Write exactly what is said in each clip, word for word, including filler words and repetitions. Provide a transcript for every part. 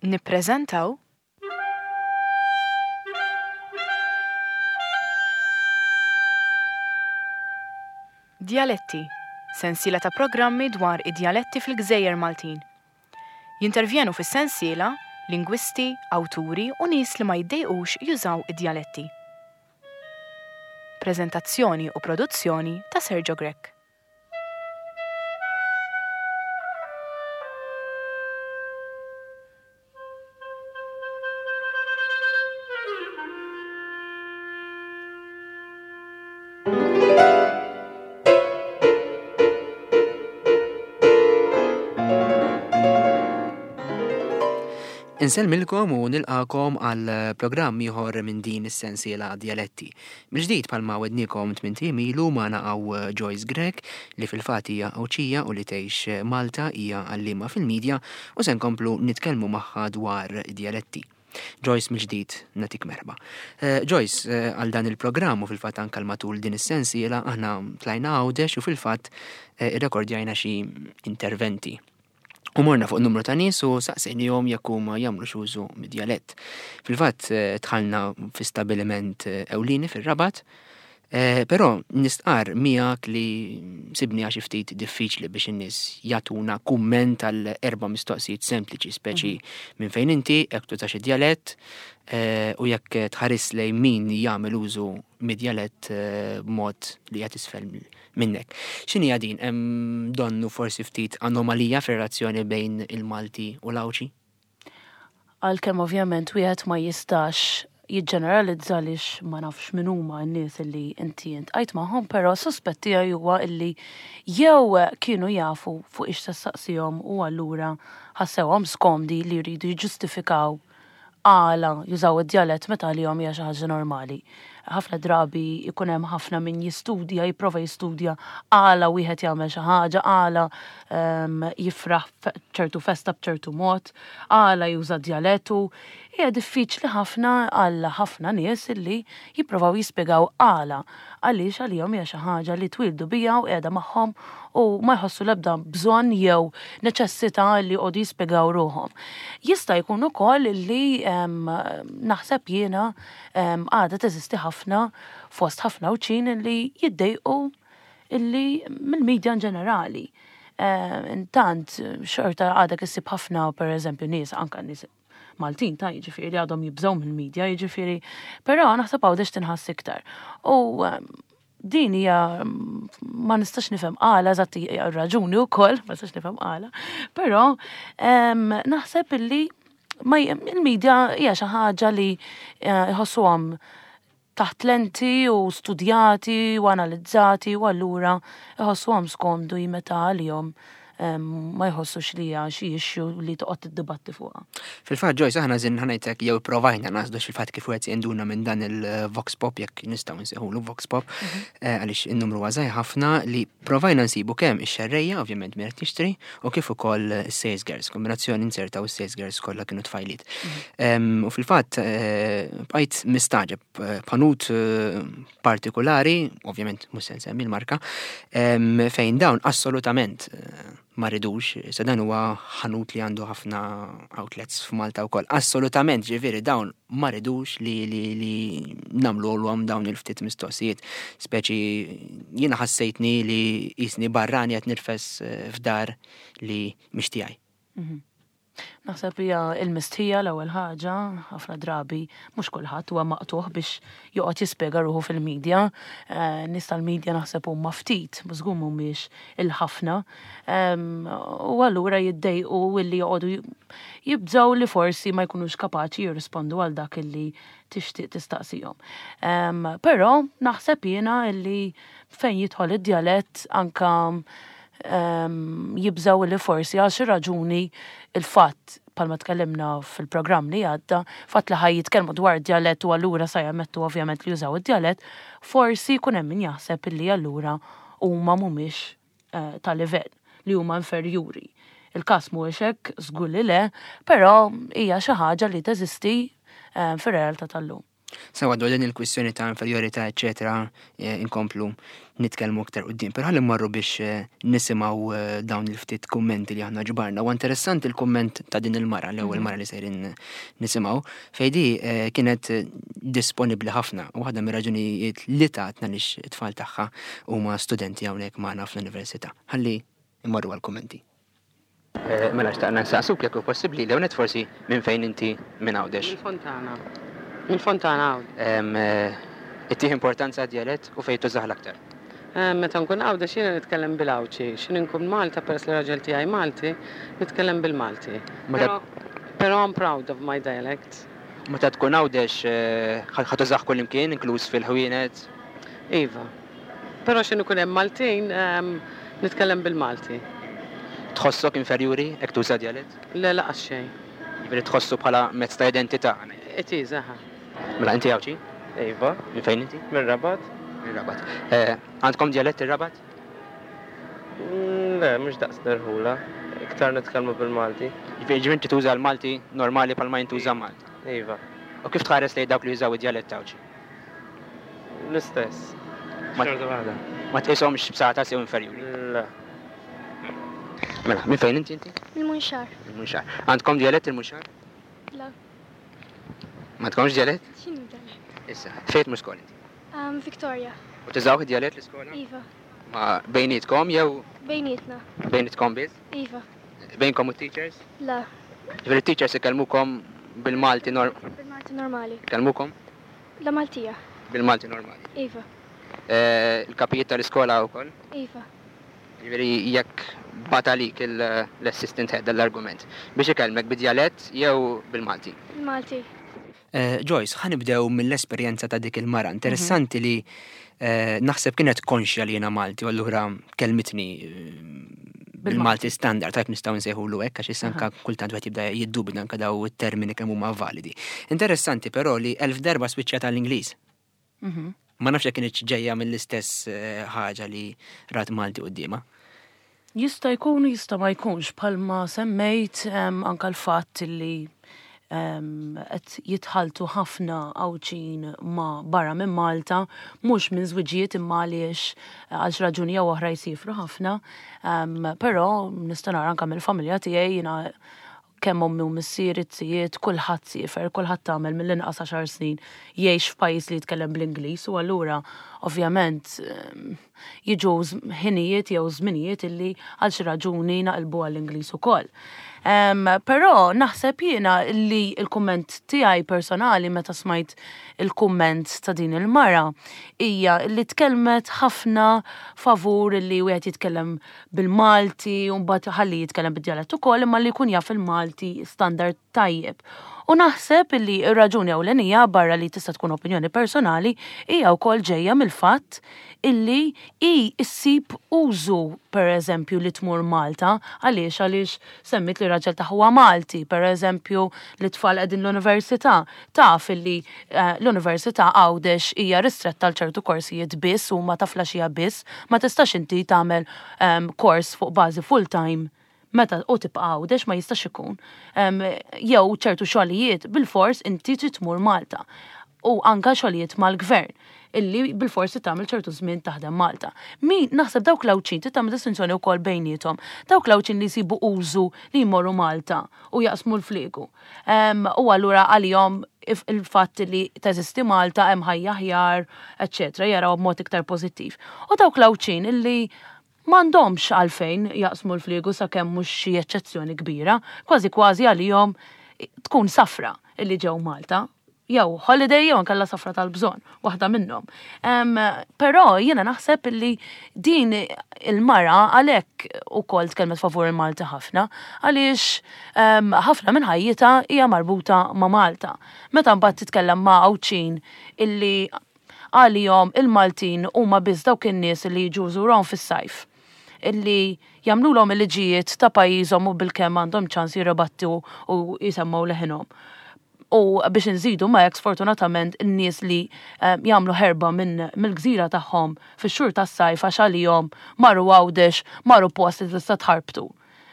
Nippreżentaw Djaletti, sensiela ta' programmi dwar id-djaletti fil-Gżejjer Maltin. Jintervjenu fis-sensiela lingwisti, awturi u nies li ma jiddejqux jużaw id-djaletti. Preżentazzjoni u produzzjoni ta' Sergio Grech. Insellmilkom u nilqakom għal programm ieħor minn din is-sensiela Djaletti. Mill-ġdid bħalma wednikom tmint ijiem ilu magħna hawn Joyce Grech li fil-fatt hija Għawdxija u li tgħix Malta, hija għalliema fil-medja u se nkomplu nitkellmu magħha dwar djaletti. Joyce, mill-ġdid nagħtik merħba. Eh, Joyce, eh, għal dan il-programm u fil-fatt anke matul din is-sensiela aħna tlajna Għawdex u fil-fatt eh, irrekordjajna xi interventi. U morna fuq numru ta' nies u saqsejnihom jekk huma jagħmlu użu mid-djalett. Fil-fatt eh, dħalna fi stabiliment eh, ewlieni fir-Rabat, eh, però nistqar miegħek li sibni għax ftit diffiċli biex in-nies jagħtuna kumment għal erba' mistoqsijiet sempliċi, speċi minn fejn inti, jekk tużax id-djalett, eh, u jekk tħares lejn min jagħmel użu mid-djalett eh, b'mod li qed isfel minnek. X'inhi din? Hemm donnu forsi ftit anomalija fir-relazzjoni bejn il-Malti u l-Għawdxi? Għalkemm ovvjament wieħed ma jistax jiġġeneralizza għaliex ma nafx min huma n-nies illi inti iltqajt magħhom, però suspett tiegħi huwa illi jew kienu jafu fuq ix tistaqsihom u allura ħassewhom skomdi li jridu jiġġustifikaw għala jużaw id-djalett meta għalihom hija xi ħaġa normali. Ħafna drabi jkun hemm ħafna min jistudja, jipprova jistudja għala wieħed jagħmel xi ħaġa, għala ehm, jifraħ ċertu festa b'ċertu mod, għala juża djalettu. Hija diffiċli ħafna għal ħafna nies illi jipprovaw jispjegaw għala għaliex għalihom hija xi ħaġa li twildu biha u qiegħda magħhom u ma jħossu l-ebda bżonn jew neċessità li jqogħdu jispjegaw ruħhom. Jista' jkun ukoll li em, naħseb jiena em, għadha teżisti ħafna fost ħafna Għawdxin li jiddejqu illi mill-medja in ġenerali. Eh, Intant, xorta għadek issib ħafna, per eżempju, nies, anka nies Maltin ta' jiġifieri għadhom jibżgħu mill-medja, jiġifieri, però naħseb Għawdex tinħass iktar. U em, din hija ma nistax nifhem għala eżatt hija raġuni wkoll, ma nistax nifhem għala, però em, naħseb illi ma il-medja hija xi ħaġa li eh, jħossuhom taħt lenti u studjati u analizzati u allura jħossuhom skomdu meta għalihom em, ma jħossux li hija xi issue li toqgħod tiddibatti fuqha. Fil-fatt Joyce, aħna żin ħanajtek jew provajna nasdu fil-fatt kif wieħed jinduna minn dan il-Vox Pop, jekk nistgħu nsejħulu Vox Pop, eh, għaliex in-numru huwa żgħir ħafna li provajna nsibu kemm ix-xerrejja, ovvjament min qed jixtri, u kif ukoll is-sales girls, kombinazzjoni insertaw is-sales girls kollha kienu tfajliet. Em, U fil-fatt eh, bqajt mistaġeb eh, b'ħanut eh, partikolari, ovvjament mhux se nsemmi l-marka, em, fejn dawn assolutament eh, ma ridux, se dan huwa ħanut li għandu ħafna outlets f'Malta wkoll. Assolutament, ġifieri dawn ma ridux li li li nagħmlu għom dawn il-ftit mistoqsijiet. Speċi jiena ħassejtni li jisni barrani qed nirfes eh, f'dar li mhix tiegħi. Naħseb hija il-mistħija l-ewwel ħaġa, ħafna drabi mhux kulħadd huwa maqtuħ biex joqgħod jispjega ruħu fil-medja. Eh, Nies tal-medja naħseb huma ftit, mhux żgur mhumiex il-ħafna. Em, U allura jiddejqu illi joqogħdu jibżgħu li forsi ma jkunux kapaċi jirrispondu għal dak illi tixtieq tistaqsihom. Em, Però naħseb jiena illi fejn jidħol id-djalett anka em, jibżaw li forsi għal xi raġuni il-fatt bħalma tkellimna fil-programm li għadda, fatt li ħaj jitkellmu dwar djalett u allura sa jammettu ovvjament li jużaw id-djalett, forsi jkun hemm min jaħseb illi allura huma mhumiex eh, ta' livell li huma inferjuri. Il-każ mhuwiex hekk, żgur li le, però hija xi ħaġa li teżisti eh, fir-realtà tal-lum. Sewa, dwar din il-kwistjoni ta' inferjorità, eċetera, eh, inkomplu nitkellmu aktar quddiem. Però ħalli mmorru biex eh, nisimgħu eh, dawn il-ftit kummenti li aħna ġbarna. U interessanti il-kumment ta' din il-mara, l-ewwel mara li sejrin nisimgħu, fejn di kienet disponibbli ħafna. U waħda mir-raġunijiet li tatna lix it-tfal tagħha huma studenti hawnhekk magħna fl-università. Ħalli immorru għal-kummenti. Mela xtaqna nsaqsuk jekk hu possibbli l forsi minn fejn inti minn Għawdex. Mill-Fontana. Mill-Fontana Għawdex. Ittih importanza djalett u fejn tużah l-aktar? Meta nkun Għawdex jiena nitkellem bil-Għawdxi. X'ħin nkun Malta, peress li raġel tiegħi Malti, nitkellem bil-Malti. Però I'm proud of my dialect. Meta tkun Għawdex ħa tużah kullimkien, inkluż fil-ħwienet? Iva. Però x'ħin ikun hemm Maltin, nitkellem bil-Malti. Tħossok inferjuri jekk tuża djalett? Le, lanqas xejn. Jiġifieri tħossu bħala mezz ta' identità? It is, aha. Mela inti Għawdxi? Iva. Minn fejn inti? Minn Rabat. Minn Rabat. Għandkom djalett ir-Rabat? Le, mhux daqs l-irħula. Iktar nitkellmu bil-Malti. Jiġifieri inti tuża l-Malti normali bħalma jintuża Malta? Iva. U kif tħares lejn dawk li jużaw id-djalett Għawdxi? L-istess. Xorta waħda. Ma tqishomx b'sata sew inferjuri? Le. Mela, minn fejn inti inti? Il-Munxar. Il-Munxar. Għandkom djalett il-Munxar? La. Ma għandkomx djalett? X'inhu djalett? Issa, fejn tmur skola inti? Um, Victoria. U tużaw id-djalett l-iskola? Iva. Ma bejnietkom jew? Bejnietna. Bejnietkom biss? Iva. Bejnkom u teachers? La. Ġifieri teachers ikellmukom bil-Malti norm. Bil-Malti normali. Ikellmukom? La, Maltija. Bil-Malti normali. Iva. Il-kapijiet tal-iskola wkoll? Iva. Ġifieri jekk bagħat għalik l-assistant head dal-argument biex ikellmek bid-djalett jew bil-Malti? Bil-Malti. Joyce, ħa nibdew mill-esperjenza ta' dik il-mara. Interessanti li naħseb kienet konxja li jiena Malti u allura kelmitni bil-Malti standard, tajb nistgħu nsejħulu hekk, għax issa anka kultant wieħed jibda jiddubita anka daw it-termini kemm huma validi. Interessanti però li elf darba swiċċjat għall-Ingliż. Ma nafx jekk kienx ġejja mill-istess ħaġa li rat Malti quddiemha. Jista' jkun, jista' ma jkunx, bħalma semmejt anka l-fatt li qed jitħaltu ħafna Għawdxin ma' barra minn Malta, mhux minn żwiġijiet imma għaliex għal xi raġuni jew oħra jsifru ħafna. Però nista' nara anka mill-familja tiegħi, jiena kemm ommi u missieri, zijiet, kulħadd siefer, kulħadd tagħmel mill-inqas għaxar snin jgħix f'pajjiż li jitkellem bl-Ingliż u allura ovvjament jiġu ħinijiet jew żminijiet illi għal xi raġuni naqilbu għall-Ingliż ukoll. Però naħseb jiena li l-kumment tiegħi personali meta smajt il-kumment ta' din il-mara hija li tkellmet ħafna favur li wieħed jitkellem bil-Malti u mbagħad ħalli jitkellem bid-djalett ukoll, imma li jkun jaf il-Malti standard tajjeb. U naħseb li r-raġuni ewlenija, barra li tista' tkun opinjoni personali, hija wkoll ġejja mill-fatt illi hi ssib użu, per eżempju, li tmur Malta, għaliex għaliex semmit li raġel tagħha huwa Malti, per eżempju, li tfal qegħdin l-università, taf illi eh, l-università Għawdex hija ristretta għal ċertu korsijiet biss u ma taflaxija biss, ma tistax inti tagħmel ehm, kors fuq bażi full time meta u tibqa' Għawdex, ma jistax ikun. Jew ċertu xogħlijiet bil-fors inti trid tmur Malta. U anka xogħlijiet mal-gvern illi bil-forsi tagħmel ċertu żmien taħdem Malta. Min naħseb dawk l-Għawdxin tagħmel distinzjoni wkoll bejniethom. Dawk l-Għawdxin li jsibu użu li jmorru Malta u jaqsmu l-fliegu. U allura għalihom il-fatt li teżisti Malta, hemm ħajja aħjar, eċċetera, jaraw b'mod iktar pożittiv. U dawk l-Għawdxin illi m'għandhomx għalfejn jaqsmu l-fliegu, sakemm mhux xi eċċezzjoni kbira, kważi kważi għalihom tkun safra illi ġew Malta, jew holiday jew nkella safra tal-bżonn, waħda minnhom. Però jiena naħseb illi din il-mara għalhekk ukoll tkellmet favur il-Malti ħafna, għaliex ħafna minn ħajjitha hija marbuta ma' Malta. Meta mbagħad titkellem ma' Għawdxin illi għalihom il-Maltin huma biss dawk in-nies li jiġu jżurhom fis-sajf, illi jagħmluhom il-liġijiet ta' pajjiżhom u bilkemm għandhom ċans jirribattu u jisemmaw leħinhom. U biex nżidu ma hekk, sfortunatament n-nies li eh, jagħmlu ħerba minn mill-gżira tagħhom fix-xhur tas-sajf għax għalihom marru Għawdex, marru post li tista' tħarbtu.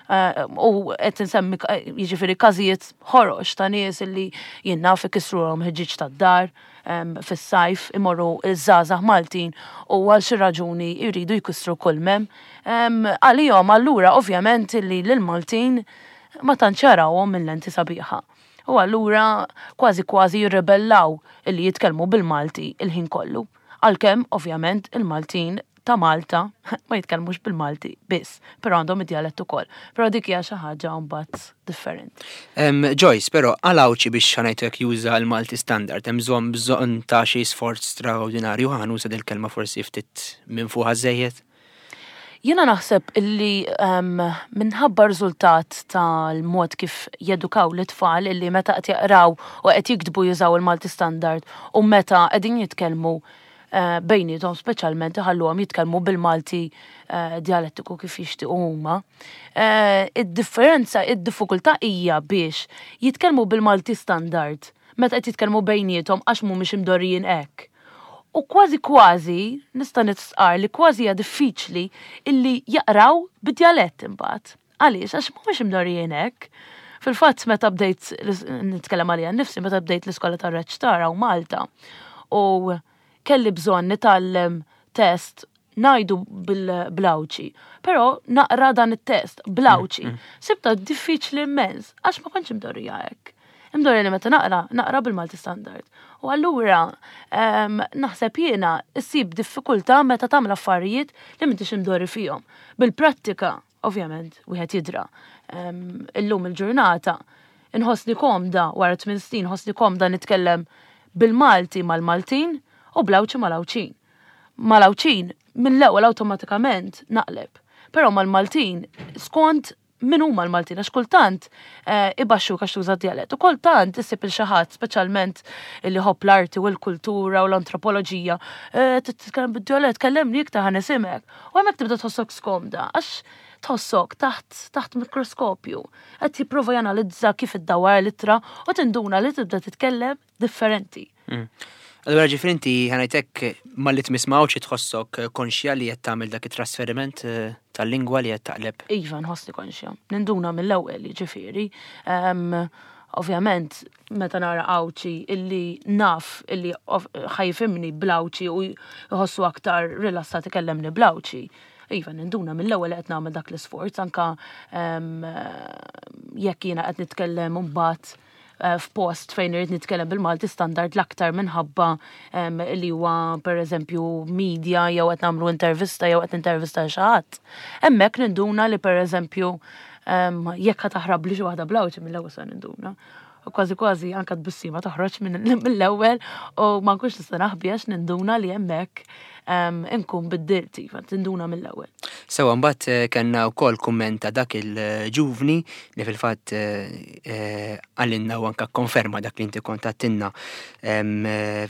Eh, u qed insemmi jiġifieri każijiet ħorox ta' nies illi jien naf ikissruhom ħġieġ tad-dar fis-sajf, imorru iż-żgħażagħ Maltin u għal xi raġuni jridu jkissru kull m'hemm. Għalihom allura ovvjament illi lill-Maltin ma tantx jarawhom minn lenti sabiħa. U allura kważi kważi jirrebellaw illi jitkellmu bil-Malti il-ħin kollu. Għalkemm ovvjament il-Maltin ta' Malta ma jitkellmux bil-Malti biss, però għandhom id-djalett ukoll. Però dik hija xi ħaġa mbagħad differenti. Joyce, però għal Għawdxi biex ħa ngħidlek juża l-Malti standard, hemm bżonn bżonn ta' xi sforz straordinarju, ħa nuża dil-kelma forsi ftit minn fuqha żejjed. Jiena naħseb illi um, minħabba riżultat tal-mod kif jedukaw l-tfal illi meta qed jaqraw u qed jiktbu jużaw il-Malti standard u meta qegħdin jitkellmu uh, bejniethom speċjalment iħalluhom jitkellmu bil-Malti uh, dialettiku kif jixtiequ huma. Uh, id-differenza, id-diffikultà hija biex jitkellmu bil-Malti standard meta qed jitkellmu bejniethom għax mhumiex imdorrijin hekk. U kważi kważi, nista' nistqar li kważi hija diffiċli illi jaqraw bid-djalett imbagħad. Għaliex, għax mhumiex imdorrijin hekk. Fil-fatt meta bdejt nitkellem għalija nnifsi, meta bdejt l-iskola tar-reċtar hawn Malta u kelli bżonn nitgħallem test ngħidu bl-Għawdxi, però naqra dan it-test bl-Għawdxi. Mm, mm. Sibta diffiċli immens, għax ma kontx imdorrija hekk. Imdorrija li meta naqra, naqra bil-Malti standard. U allura naħseb jiena issib diffikultà meta tagħmel affarijiet li m'intix imdorri fihom. Bil-prattika, ovvjament, wieħed jidra. Illum il-ġurnata inħossni komda wara tmien snin, nħossni komda nitkellem bil-Malti mal-Maltin u bl-Għawdxi mal-Għawdxin. Mal-Għawdxin mill-ewwel awtomatikament naqleb. Però mal-Maltin skont min huma l-Maltin, għax kultant eh, ibaxxu għax tuża djalett. U kultant issib il xi ħadd, speċjalment li jħobb l-arti u l-kultura u l-antropoloġija, eh, titkellem bid-djalett, kellemni iktar ħa nisimek. U hemmhekk tibda tħossok skomda, għax tħossok taħt taħt mikroskopju. Qed jipprova janalizza kif iddawwar l-ittra u tinduna li tibda titkellem differenti. Mm. Allura ġifieri inti ħa ngħidlek malli tmiss ma' Għawdxi tħossok konxja li qed tagħmel dak it-trasferiment eh, tal-lingwa li qed taqleb. Iva, nħossni konxja. Ninduna mill-ewwel, ġifieri. Ovvjament, meta nara Għawdxi illi naf illi ħa jifhimni bl-Għawdxi u jħossu aktar rilassat ikellemni bl-Għawdxi. Iva, ninduna mill-ewwel qed nagħmel dak l-isforz, anka jekk jiena qed nitkellem mbagħad eh, f'post fejn irid nitkellem bil-Malti standard l-aktar minħabba li huwa pereżempju media jew qed nagħmlu intervista jew qed intervista xi ħadd. Hemmhekk ninduna li pereżempju jekk ħa taħrab li xi waħda bl-Għawdxi mill-ewwel se ninduna. U kważi kważi anka tbissima toħroġ mill-ewwel u ma nkunx nista' naħbi għax ninduna li hemmhekk inkun biddilt, iva, tinduna mill-ewwel. Sewa mbagħad eh, kellna wkoll kumment ta' dak il-ġuvni li fil-fatt eh, qalilna u anka konferma dak li inti kont għedtilna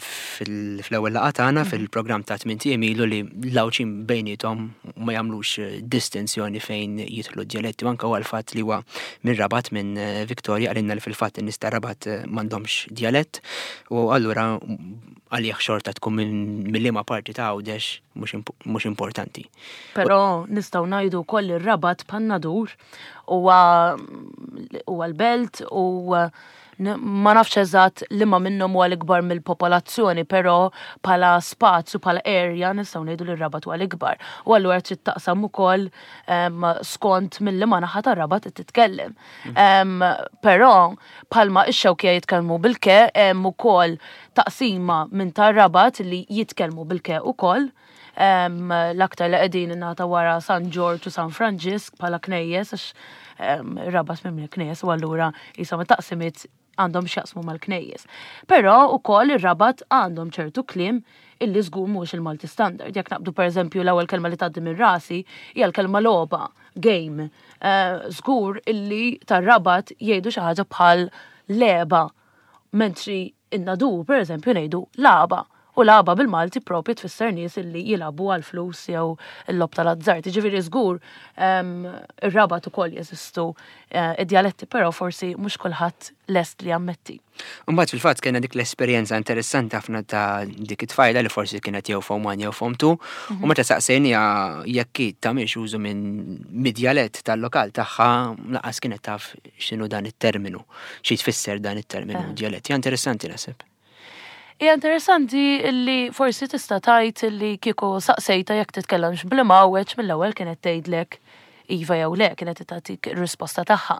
fl-ewwel laqgħa tagħna mhm. fil-programm ta' tmien ilu li l-Għawdxin bejniethom ma jagħmlux distinzjoni fejn jidħlu d-djaletti u anka għal fatt li huwa minn Rabat minn Victoria qalilna li fil-fatt in-nies ta' Rabat m'għandhomx djalett u allura għalih xorta tkun minn liema parti ta' Għawdex mhux importanti. Però nistgħu ngħidu wkoll ir-Rabat bħan-Nadur huwa l-belt u ma nafx eżatt liema minnhom huwa l-ikbar mill-popolazzjoni, però bħala spazju, bħala area nistgħu ngħidu li r-Rabat huwa l-ikbar. U allura trid taqsam ukoll skont mill-liema naħa tar-Rabat titkellem. Mm. Però bħalma ix-Xewkija jitkellmu bil-ke hemm ukoll taqsima minn tar-Rabat li jitkellmu bil-ke ukoll. L-aktar li qegħdin ingħata wara San Ġorġ u San Franġisk bħala knejjes għax Rabat mimli knejjes u allura jisom taqsimiet għandhom x'jaqsmu mal-knejjes. Però ukoll ir-Rabat għandhom ċertu kliem illi żgur mhux il-Malti standard. Jekk naqbdu pereżempju l-ewwel kelma li tgħaddi minn rasi hija l-kelma logħba, game. Żgur illi tar-Rabat jgħidu xi ħaġa bħal leba, mentri in-Nadur pereżempju ngħidu laba. U lagħba bil-Malti propju tfisser nies illi jilagħbu għal flus jew il-logħob tal-azzard. Ġifieri żgur ir-Rabat ukoll jeżistu eh, id-djaletti, però forsi mhux kulħadd lest li jammetti. Mbagħad fil-fatt kellna dik l-esperjenza interessanti ħafna ta' dik it-tfajla li forsi kienet jew form one jew form two, u meta saqsejniha jekk hi tagħmilx użu minn mid-djalett tal-lokal tagħha, lanqas kienet taf x'inhu dan it-terminu, xi tfisser dan it-terminu djalett. Hija interessanti, naħseb. Hija interessanti illi forsi tista' tgħid illi kieku saqsejta jekk titkellemx bl-imgħawweġ, mill-ewwel kienet tgħidlek iva jew le, kienet tagħtik ir-risposta tagħha.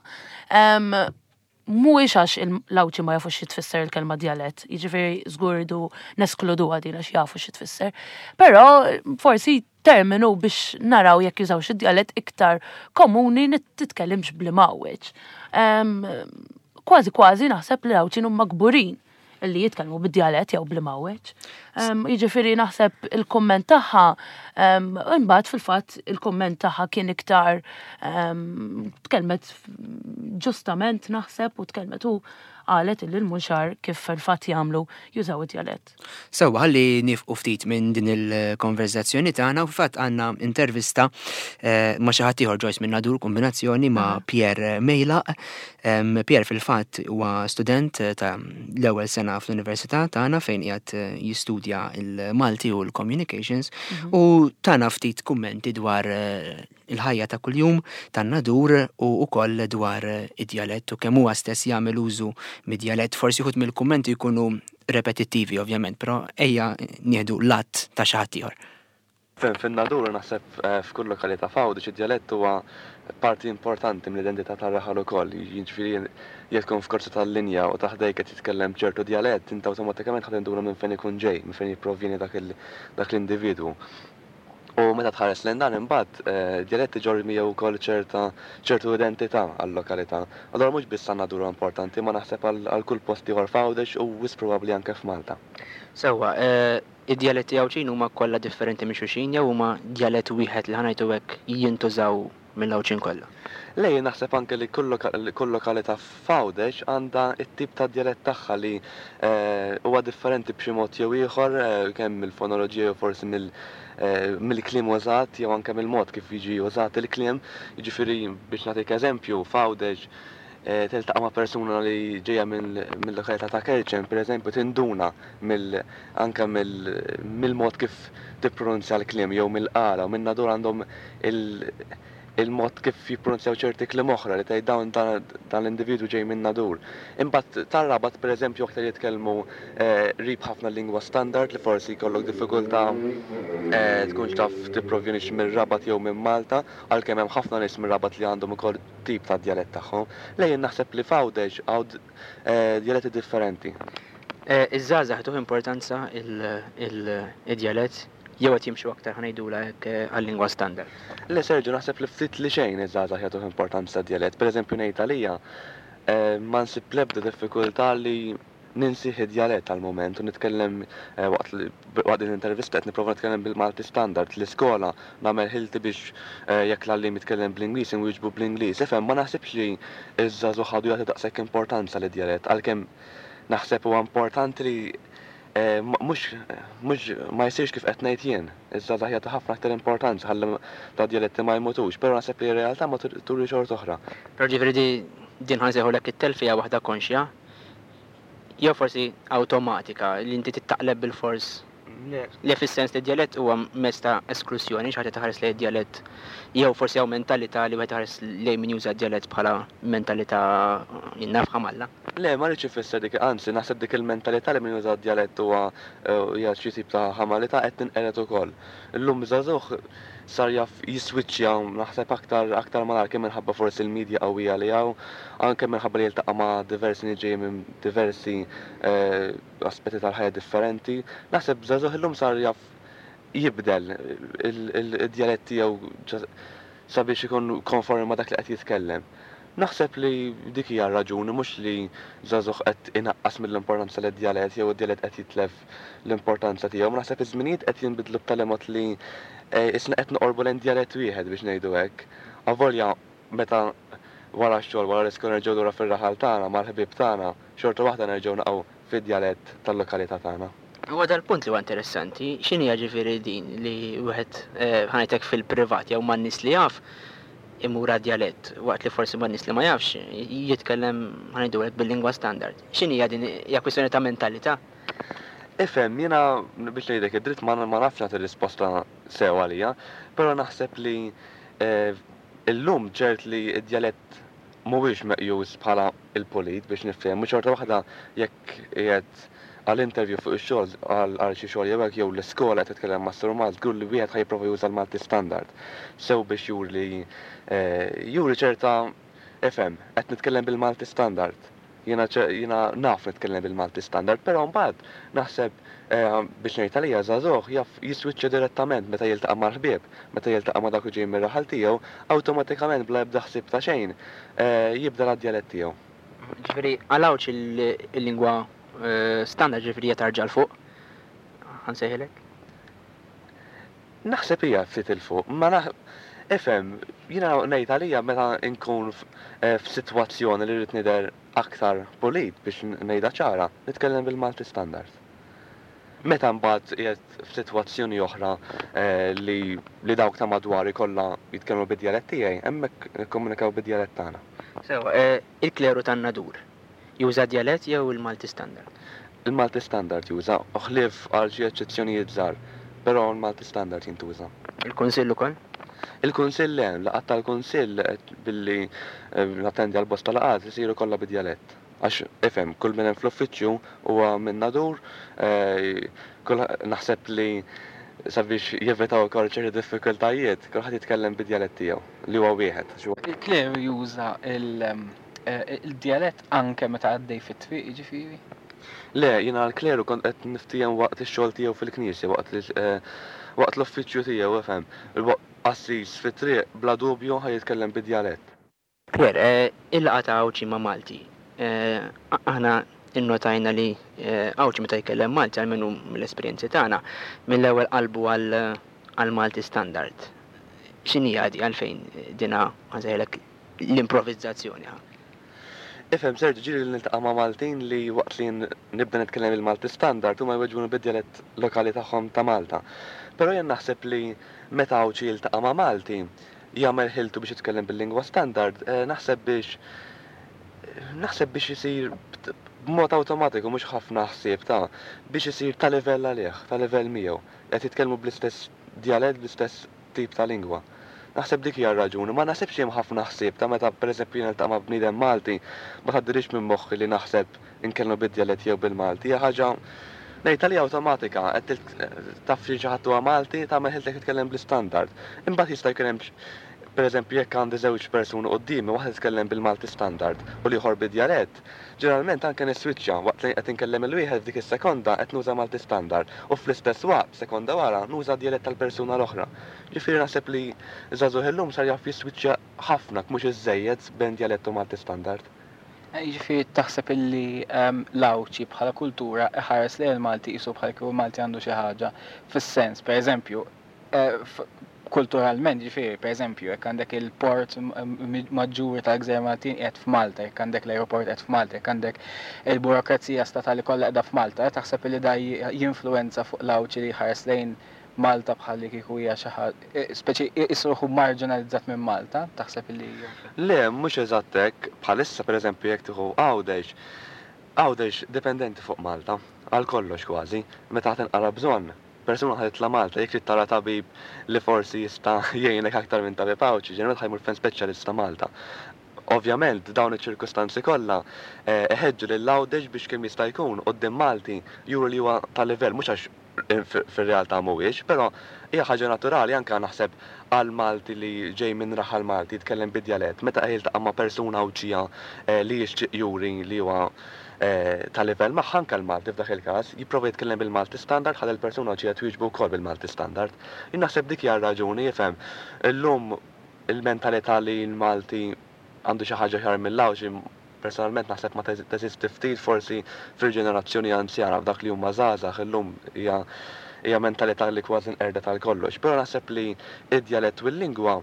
Mhuwiex għax l-Għawdxi ma jafux xi tfisser il-kelma djalett, jiġifieri żgur idu neskluduha din għax jafu xi tfisser. Però forsi terminu biex naraw jekk jużawx id-djalett iktar komuni, titkellimx bl-imgħawweġ. Kważi kważi naħseb li l-Għawdxin huma kburin li jitkellmu bid-djalett jew bl-imgħawweġ. Jiġifieri naħseb il-komment tagħha, imbagħad fil-fatt il-komment tagħha kien iktar, tkellmet ġustament naħseb u tkellmet u qalet illi l-Munxar kif fil-fatt jagħmlu, jużaw id-djalett. Sewwa, ħalli nieqfu ftit minn din il-konverzazzjoni tagħna u fil-fatt għandna intervista eh, ma' xi ħadd ieħor, Joyce, minn Nadur, kombinazzjoni ma' Pierre Mejlaq. Pierre fil-fatt huwa student ta' l-ewwel sena fl-Università tagħna fejn qiegħed jistudja il-Malti u l-Communications mhm. u tana ftit kummenti dwar eh, il-ħajja ta' kuljum tan-Nadur u wkoll dwar id-djalett u kemm huwa stess jagħmel użu mid-djalett. Forsi wħud mill-kummenti jkunu repetittivi ovvjament, però ejja nieħdu lat ta' xi ħadd ieħor. Fin-Nadur, naħseb eh, f'kull lokalità f'Għawdex, id-djalett huwa parti importanti mill-identità tar-raħal ukoll. Jiġifieri jekk tkun f'karozza tal-linja u ta' ħdejk qed jitkellem ċertu djalett, inti awtomatikament ħa tinduna minn fejn ikun ġej, minn fejn jipprovjeni dak l-individwu. U meta tħares lejn dan imbagħad, eh, djalett iġorr miegħu wkoll ċerta ċertu identità għal-lokalità. Allura mhux biss għan-Nadur importanti, ma naħseb għal kull post ieħor f'Għawdex u wisq probabbli anke f'Malta. Sewwa, eh, id-djaletti Għawdxin huma kollha differenti minn xulxin jew huma djalett wieħed li ħa ngħidu hekk jintużaw mill-Għawdxin kollha? Le, naħseb anke li kull lokalità f'Għawdex għandha t-tip ta' djalett tagħha li eh, huwa differenti b'xi mod jew ieħor, kemm mill-fonoloġija jew forsi mill mill-kliem użat jew anke mill-mod kif jiġi użat il-kliem. Jiġifieri, biex nagħtik eżempju, f'Għawdex tiltaqa' ma' persuna li ġejja mill-lokalità ta' Kerċem, pereżempju, tinduna mill anke mill-mod kif tippronunzja l-kliem, jew mill-Qala u minn Nadur għandhom il-mod kif jippronunzjaw ċerti kliem oħra li tgħid dawn dan l-individwu ġej minn Nadur. Imbagħad tar-Rabat, pereżempju, aktar jitkellmu qrib ħafna lingwa standard li forsi jkollok diffikultà tkunx taf tipprovjenix mir-Rabat jew minn Malta, għalkemm hemm ħafna nies mir-Rabat li għandhom ukoll tip ta' djalett tagħhom. Le, jien naħseb li f'Għawdex hawn djaletti differenti. Iż-żgħażagħ tuh importanza il-djalett jew qed jimxu aktar, ħa ngħidulha hekk, għal-lingwa standard? Le, Sergio, naħseb li ftit li xejn iż-żgħażagħ jagħtuh importanza djalett. Pereżempju, ngħid għalija, ma nsib l-ebda diffikultà li ninsih id-djalett għal-moment u nitkellem waqt waqt din l-intervista qed nipprova nitkellem bil-Malti standard. L-iskola nagħmel ħilti biex jekk l-għalliem jitkellem bl-Ingliż inwieġbu bl-Ingliż. Ifhem, ma naħsibx li ż-żagħżugħ għadu jagħti daqshekk importanza lid-djalett, għalkemm naħseb huwa importanti li mhux mhux ma jsirx kif qed ngħid jien. Iż-żgħażagħ jagħtu ħafna aktar importanza ħalli ta' djaletti ma jmutux, però naħseb li r-realtà ma turi xorta oħra. Però ġifieri din, ħa nsejħulek, it-telfa hija waħda konxja jew forsi awtomatika li inti tittaqleb bil-fors? Le, fis-sens li djalett huwa mezz ta' esklużjoni, xi ħaġa taħares lejn djalett, jew forsi hawn mentalità li wieħed iħares lejn min juża djalett bħala mentalità jinnaf ħamalla. Le, ma rridx ifisser dik, anzi naħseb dik il-mentalità li min juża djalett huwa hija xi tip ta' ħamalità qed tinqered ukoll. Illum żagħżugħ sar jaf jiswiċċja naħseb aktar aktar malajr, kemm minħabba forsi l-medja qawwija li hawn, anke minħabba li jiltaqa' ma' diversi nies ġejjin minn diversi aspetti tal-ħajja differenti. Naħseb żagħżugħ illum sar jaf jibdel id-djalett tiegħu sabiex ikun konformi ma' dak li qed jitkellem. Naħseb li dik hija raġuni, mhux li żagħżugħ qed inaqqas mill-importanza lid djalett jew id-djalett qed jitlef l-importanza tiegħu. Ma naħseb iż-żminijiet qed jinbidlu b'tali mod li isna qed noqorbu lejn djalett wieħed, biex ngħidu hekk. Avolja meta wara x-xogħol, wara l-iskola, nerġgħu lura fir-raħal tagħna mal-ħbieb tagħna, xorta waħda nerġgħu naqgħu fid-djalett tal-lokalità tagħna. Huwa dal-punt li huwa interessanti, x'inhi ġifieri din li wieħed ħa ngħidlek fil-privat jew man-nies li jaf imur djalett, waqt li forsi man-nies li ma jafx jitkellem, ħa ngħidu hekk, bil-lingwa standard. X'inhi din, hija kwistjoni ta' mentalità? Ifhem, jiena biex ngħidlek id-dritt ma nafx nagħti risposta sew għalija, però naħseb li illum ċert li d-djalett mhuwiex meqjus bħala il-pulit biex nifhem, u xorta waħda jekk qiegħed għal interview fuq ix-xogħol, għal xi xogħol jew hekk, jew l-iskola qed titkellem ma' Sur Malti, żgur li wieħed ħa jipprova juża l-Malti standard. Sew biex juri juri ċerta, ifhem, qed nitkellem bil-Malti standard. Jiena jiena naf nitkellem bil-Malti standard, però mbagħad naħseb, biex ngħid għalija, żagħżugħ jaf jiswiċċja direttament meta jiltaqa' mal-ħbieb, meta jiltaqa' ma' dak li ġej mir-raħal tiegħu, awtomatikament bla ebda ħsieb ta' xejn jibda d-djalett tiegħu. Ġifieri għal Għawdx il-lingwa standard ġifieri hija tarġa' 'l fuq, ħa nsejħilek? Naħseb hija ftit 'il fuq, ma naħ ifhem, jiena ngħid għalija meta nkun f'sitwazzjoni li rrid nidher aktar pulit, biex ngħidha ċara, nitkellem bil-Malti standard. Meta mbagħad qiegħed f'sitwazzjoni oħra li li dawk ta' madwari kollha jitkellmu bid-djalett tiegħi, hemmhekk nikkomunikaw bid-djalett tagħna. Sewa, il-kleru tan-Nadur juża djalett jew il-Malti standard? Il-Malti standard juża, ħlief għal xi eċċezzjonijiet żgħar, però l-Malti standard jintuża. Il-Kunsill ukoll? Il-Kunsill le, laqgħat tal-Kunsill, billi nattendi għal bosta laqgħat, isiru kollha bid-djalett. Għax ifhem, kull min hemm fl-uffiċċju huwa minn Nadur, naħseb li sabiex jevitaw ukoll ċerti diffikultajiet, kulħadd jitkellem bid-djalett tiegħu, li huwa wieħed. Il-kleru juża il-djalett anke meta għaddej fit-triq, jiġifieri? Le, jiena l-kleru kont qed niftiehem waqt ix-xogħol tiegħu fil-knisja, waqt waqt l-uffiċċju tiegħu, ifhem. Qassis fit-triq bla dubju ħa jitkellem bid-djalett. Claire, il-laqgħa ta' Għawdxi ma' Malti. Aħna innotajna li Għawdxi meta jkellem Malti, almenu mill-esperjenzi tagħna, mill-ewwel qalbu għal Malti standard. X'inhi di, għalfejn dina, ħa nsejħilek, l-improvizzazzjoni? Ifhem, Sergio, ġieli li niltaqa' ma' Maltin li waqt li nibda nitkellem il-Malti standard huma jweġbuni bid-djalett lokali tagħhom ta' Malta. Però jien naħseb li meta Għawdxi jiltaqa' ma' Malti jagħmel ħiltu biex jitkellem bil-lingwa standard, naħseb biex naħseb biex isir b'mod awtomatiku, mhux ħafna ħsieb ta' biex isir ta' livell għalih, ta' livell miegħu. Qed jitkellmu bl-istess djalett, bl-istess tip ta' lingwa. Naħseb dik hija r-raġuni, ma naħsibx hemm ħafna ħsieb ta' meta pereżempju jien niltaqa' ma' bniedem Malti, ma tgħaddilix minn moħħi li naħseb inkellmu bid-djalett jew bil-Malti. Hija ħaġa ngħid għalija awtomatika, qed taf xi ħadd huwa Malti, tagħmel ħiltek titkellem bl-istandard. Imbagħad jista' jkun hemm, pereżempju, jekk għandi żewġ persuni quddiemi, waħda titkellem bil-Malti standard u l-ieħor bid-djalett, ġeneralment anke niswiċċja waqt li qed inkellem il-wieħed, f'dik is-sekonda qed nuża Malti standard u fl-istess waqt, sekonda wara, nuża djalett tal-persuna l-oħra. Ġifieri naħseb li żagħżugħ illum sar jaf jiswiċċja ħafna, mhux iżżejjed, bejn djalett u Malti standard. Jiġifieri taħseb illi l-Għawdxi bħala kultura iħares lejn il-Malti qisu bħal kieku l-Malti għandu xi ħaġa fis-sens, pereżempju, kulturalment, ġifieri, pereżempju, jekk għandek il-port maġġuri tal-Gżejjer Maltin qiegħed f'Malta, jekk għandek l-aeroport qiegħed f'Malta, jekk għandek il-burokrazija statali kollha qiegħda f'Malta, taħseb li da jinfluwenza fuq l-Għawdxi li jħares lejn Malta bħal li kieku hija xi ħaġa, speċi isruħu marginalizzat minn Malta, taħseb li? Le, mhux eżatt hekk. Bħalissa, pereżempju, jekk tieħu Għawdex, Għawdex dipendenti fuq Malta, għal kollox kważi, meta tinqara bżonn. Persuna ħa titla' Malta, jekk trid tara tabib li forsi jista' jgħinek aktar minn tabib Għawdxi, ġeneralment ħa jmur fejn speċjalista Malta. Ovvjament, dawn iċ-ċirkustanzi kollha iħeġġu lil Għawdex biex kemm jista' jkun quddiem Malti juru li huwa ta' livell, mhux għax fir-realtà mhuwiex, però hija ħaġa naturali anke naħseb għal Malti li ġej minn raħal Malti jitkellem bid-djalett, meta jiltaqa' ma' persuna Għawdxija li jixtieq juri li huwa ta' livell magħha, anke l-Malti f'dak il-każ jipprova jitkellem bil-Malti standard ħalli l-persuna Għawdxija twieġbu wkoll bil-Malti standard. Jien naħseb dik hija r-raġuni, jifhem. Illum il-mentalità li l-Malti għandu xi ħaġa aħjar mill-Għawdxi personalment naħseb ma teżisti, ftit forsi fil-ġenerazzjoni anzjana, f'dak li huma żgħażagħ illum hija hija mentalità li kważi nqerdet għal kollox. Però naħseb li id-djalett u l-lingwa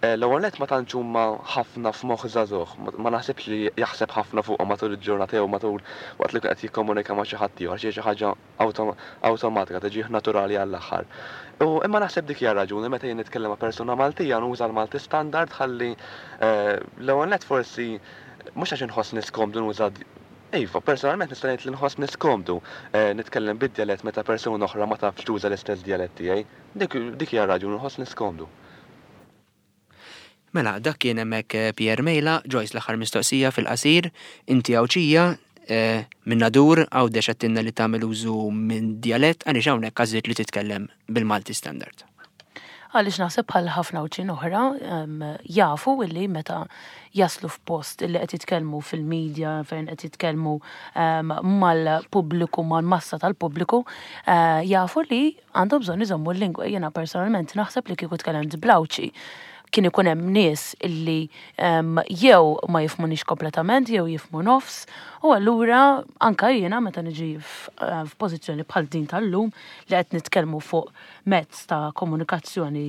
L-ewwel nett ma tantx huma ħafna f'moħħ żagħżugħ, ma naħsibx li jaħseb ħafna fuqhom matul il-ġurnata jew matul waqt li qed jikkomunika ma' xi ħadd ieħor, xi ħaġa awtomatika tiġih naturali għall-aħħar. U imma naħseb dik hija raġuni meta jien nitkellem ma' persuna Maltija nuża l-Malti standard ħalli l-ewwel nett forsi mhux għax inħossni skomdu nuża. Iva, personalment nista' ngħid li nħossni skomdu nitkellem bid-djalett meta persuna oħra ma tafx tuża l-istess djalett tiegħi. Dik dik hija raġuni nħossni skomdu. Mela, dak kien hemmhekk Pierre Mejla. Joyce, l-aħħar mistoqsija fil-qasir, inti Għawdxija minn Nadur, Għawdex, għedtilna li tagħmel użu minn djalett, għaliex hawnhekk għażilt li titkellem bil-Malti standard? Għaliex naħseb bħal ħafna Għawdxin oħra jafu illi meta jaslu f'post illi qed jitkellmu fil-medja, fejn qed jitkellmu mal-pubbliku, mal-massa tal-pubbliku, jafu li għandhom bżonn iżommu l-lingwa. Jiena personalment naħseb li kieku tkellimt bl-Għawdxi kien ikun hemm nies illi jew ma jifhmunix kompletament jew jifhmu nofs, u allura anka jiena meta niġi f'pożizzjoni bħal din tal-lum li qed nitkellmu fuq mezz ta' komunikazzjoni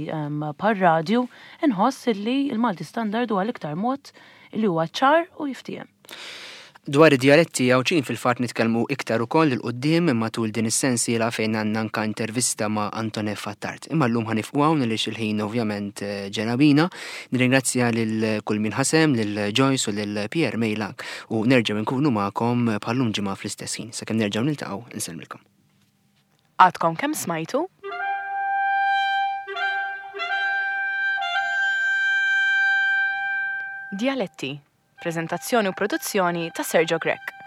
bħal radju, inħoss illi l-Malti standard huwa l-iktar mod li huwa ċar u jiftiehem. Dwar id-djaletti Għawdxin fil-fatt nitkellmu iktar ukoll 'il quddiem matul din is-sensiela fejn għandna anka intervista ma' Antoine Attard. Imma llum ħa nieqfu hawn għaliex il-ħin ovvjament ġera bina. Nirringrazzja lil kull min ħa sehem, lil Joyce u lil Pierre Mejlak, u nerġgħu nkunu magħkom bħallum ġimgħa fl-istess ħin. Sakemm nerġgħu niltaqgħu, insellmilkom. Għadkom kemm smajtu Djaletti, prezentazzjoni u produzzjoni ta' Sergio Grech.